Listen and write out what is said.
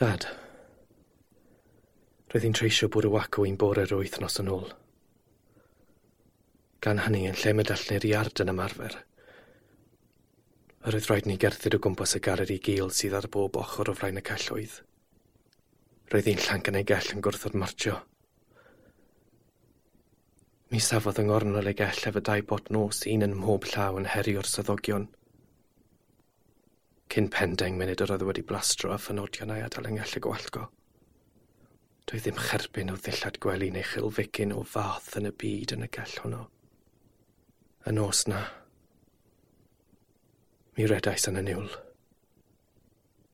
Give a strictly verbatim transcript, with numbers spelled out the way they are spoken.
Dad, roedd hi'n treisio bwrw acw un bore yr wythnos yn ôl. Gan hynny, yn lle mynd allan i'r iard yn ymarfer, yr oedd rhaid ni gerdded o gwmpas y galeri gul sydd ar bob ochr o flaen y celloedd. Roedd un llanc yn ei gell yn gwrthod martio. Mi safodd yng ngornel ei gell efo dau bot nos, un yn mhob llaw, yn herio'r swyddogion. Cyn pen deng munud yr oedd wedi blastro a phenodion a'i adael yng ngell y gwallgo. Doedd ddim cherbyn o ddillad gwely neu chilfigyn o fath yn y byd yn y gell honno. Y nos na, mi redais yn y niwl.